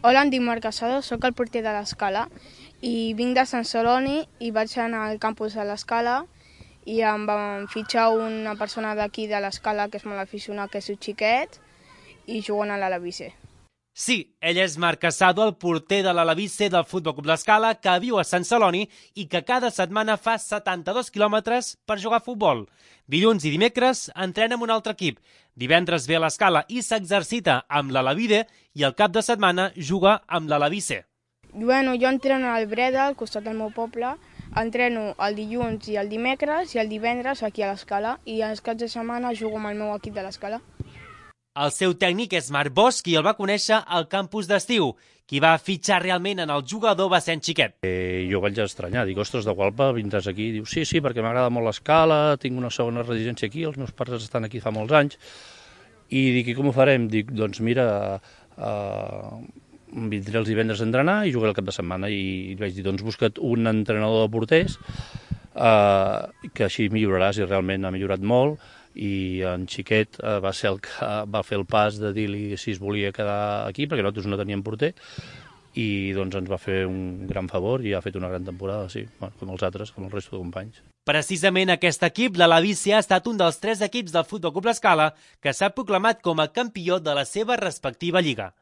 Hola, em dic Marc Casado, sóc el porter de l'Escala i vinc de Sant Celoni i vaig anar al campus de l'Escala i em van fitxar una persona d'aquí de l'Escala que és molt aficionat, que és un xiquet, i juguen a l'Alavice. Sí, ell és Marc Casado, el porter de l'Alavice del Futbol Club l'Escala, que viu a Sant Celoni i que cada setmana fa 72 quilòmetres per jugar a futbol. Dilluns i dimecres entrena amb un altre equip. Divendres ve a l'Escala i s'exercita amb l'Alavide i el cap de setmana juga amb l'Alavice. Bueno, jo entreno al Breda, al costat del meu poble, entreno el dilluns i el dimecres i el divendres aquí a l'Escala i els caps de setmana jugo amb el meu equip de l'Escala. El seu tècnic és Marc Bosch i el va conèixer al campus d'estiu. Qui va fitxar realment en el jugador va ser en Xiquet. Jo vaig estranyar, dic, ostres, de Gualpa vindràs aquí? Diu, sí, perquè m'agrada molt l'Escala, tinc una segona residència aquí, els meus pares estan aquí fa molts anys. I dic, i com ho farem? Dic, doncs mira, vindré els divendres a entrenar i jugaré el cap de setmana. I vaig dir, doncs busca't un entrenador de porters, que així milloraràs, i realment ha millorat molt. I en Xiquet va ser el que va fer el pas de dir-li si es volia quedar aquí, perquè nosaltres no teníem porter, i doncs ens va fer un gran favor i ha fet una gran temporada, sí, com els altres, com el resto de companys. Precisament aquest equip, l'Alavice, ha estat un dels 3 equips del Futbol Club l'Escala que s'ha proclamat com a campió de la seva respectiva lliga.